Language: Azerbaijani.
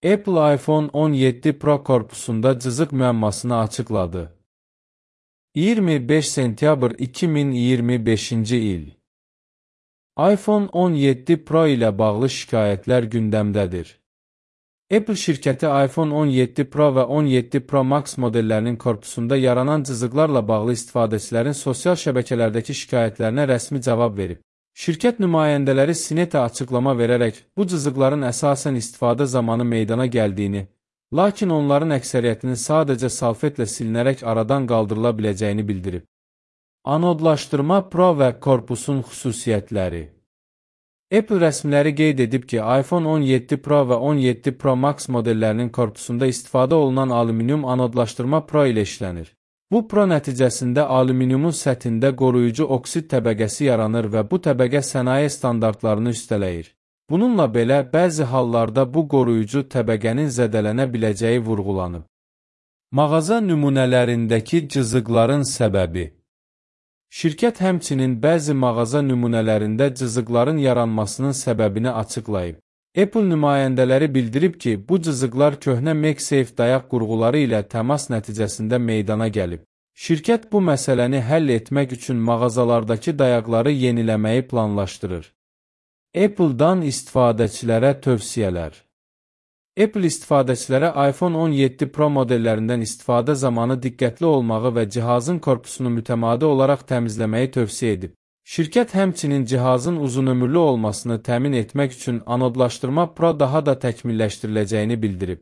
Apple iPhone 17 Pro korpusunda cızıq müəmmasını açıqladı. 25 sentyabr 2025-ci il. iPhone 17 Pro ilə bağlı şikayətlər gündəmdədir. Apple şirkəti iPhone 17 Pro və 17 Pro Max modellərinin korpusunda yaranan cızıqlarla bağlı istifadəçilərin sosial şəbəkələrdəki şikayətlərinə rəsmi cavab verib. Şirkət nümayəndələri Sineta açıqlama verərək bu cızıqların əsasən istifadə zamanı meydana gəldiyini, lakin onların əksəriyyətinin sadəcə salfetlə silinərək aradan qaldırıla biləcəyini bildirib. Anodlaşdırma Pro və korpusun xüsusiyyətləri. Apple rəsmiləri qeyd edib ki, iPhone 17 Pro və 17 Pro Max modellərinin korpusunda istifadə olunan alüminium anodlaşdırma Pro ilə işlənir. Bu Pro nəticəsində alüminiumun səthində qoruyucu oksid təbəqəsi yaranır və bu təbəqə sənaye standartlarını üstələyir. Bununla belə, bəzi hallarda bu qoruyucu təbəqənin zədələnə biləcəyi vurğulanıb. Mağaza nümunələrindəki cızıqların səbəbi. Şirkət həmçinin bəzi mağaza nümunələrində cızıqların yaranmasının səbəbini açıqlayıb. Apple nümayəndələri bildirib ki, bu cızıqlar köhnə MagSafe dayaq qurğuları ilə təmas nəticəsində meydana gəlib. Şirkət bu məsələni həll etmək üçün mağazalardakı dayaqları yeniləməyi planlaşdırır. Apple-dan istifadəçilərə tövsiyələr. Apple istifadəçilərə iPhone 17 Pro modellərindən istifadə zamanı diqqətli olmağı və cihazın korpusunu mütəmadi olaraq təmizləməyi tövsiyə edib. Şirkət həmçinin cihazın uzunömürlü olmasını təmin etmək üçün anodlaşdırma Pro daha da təkmilləşdiriləcəyini bildirib.